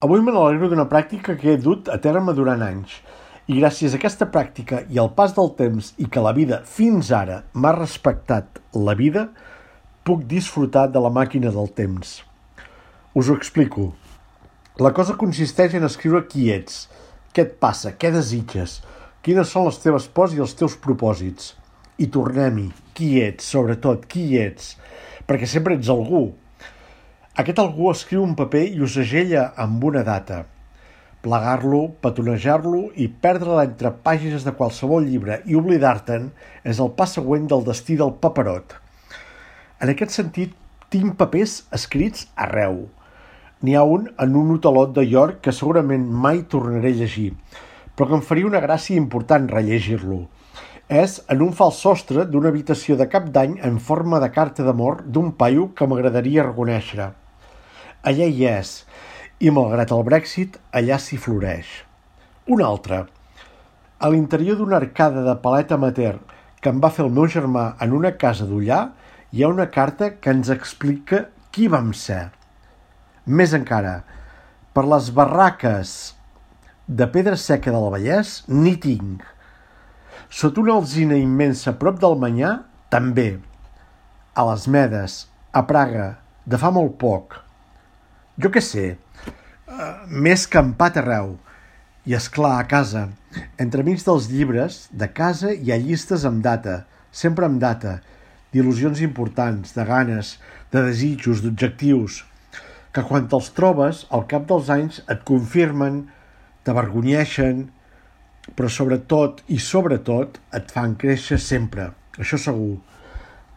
Avui me n'alegro d'una pràctica que he dut a terme durant anys, i gràcies a aquesta pràctica i al pas del temps i que la vida fins ara m'ha respectat la vida, puc disfrutar de la màquina del temps. Us ho explico. La cosa consisteix en escriure qui ets, què et passa, què desitges, quines són les teves pors i els teus propòsits. I tornem-hi, qui ets, sobretot, qui ets, perquè sempre ets algú. Aquest algú escriu un paper i ho segella amb una data. Plegar-lo, petonejar-lo i perdre'l entre pàgines de qualsevol llibre i oblidar-te'n és el pas següent del destí del paperot. En aquest sentit, tinc papers escrits arreu. N'hi ha un en un hotelot de York que segurament mai tornaré a llegir, però que em faria una gràcia important rellegir-lo. És en un fals sostre d'una habitació de cap d'any en forma de carta d'amor d'un paio que m'agradaria reconèixer. Allà hi és, i malgrat el Brexit, allà s'hi floreix. Un altre. A l'interior d'una arcada de palet amateur que em va fer el meu germà en una casa d'Ullà, hi ha una carta que ens explica qui vam ser. Més encara, per les barraques de Pedra Seca del Vallès n'hi tinc. Sota una alzina immensa a prop del Manyà, també. A les Medes, a Praga, de fa molt poc. Jo què sé, m'he escampat arreu. I és clar, a casa, entremig dels llibres, de casa hi ha llistes amb data, sempre amb data, d'il·lusions importants, de ganes, de desitjos, d'objectius, que quan te'ls trobes, al cap dels anys et confirmen, t'avergonyeixen, però sobretot et fan créixer sempre, això segur.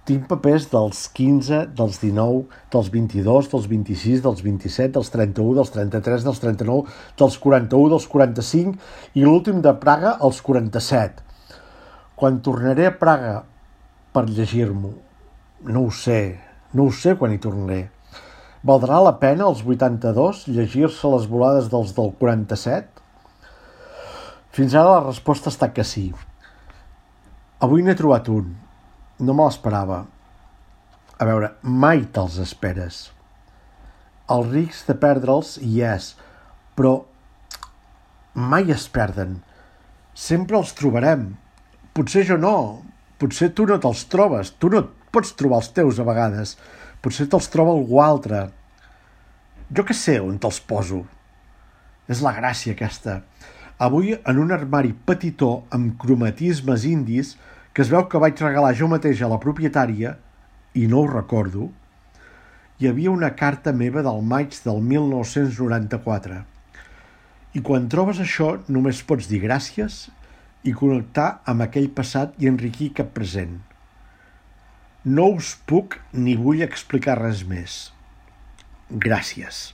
Tinc papers dels 15, dels 19, dels 22, dels 26, dels 27, dels 31, dels 33, dels 39, dels 41, dels 45 i l'últim de Praga, els 47. Quan tornaré a Praga per llegir-m'ho, no ho sé quan hi tornaré. Valdrà la pena als 82 llegir-se les volades dels del 47? Fins ara la resposta està que sí. Avui n'he trobat un. No me l'esperava. A veure, mai te'ls esperes. El risc de perdre'ls hi és, però mai es perden. Sempre els trobarem. Potser jo no. Potser tu no te'ls trobes. Tu no pots trobar els teus a vegades. Potser te'ls troba algú altre. Jo què sé on te'ls poso. És la gràcia aquesta. Avui, en un armari petitó amb cromatismes indis, que es veu que vaig regalar jo mateix a la propietària, i no ho recordo, hi havia una carta meva del maig del 1994. I quan trobes això només pots dir gràcies i connectar amb aquell passat i enriquir cap present. No us puc ni vull explicar res més. Gràcies.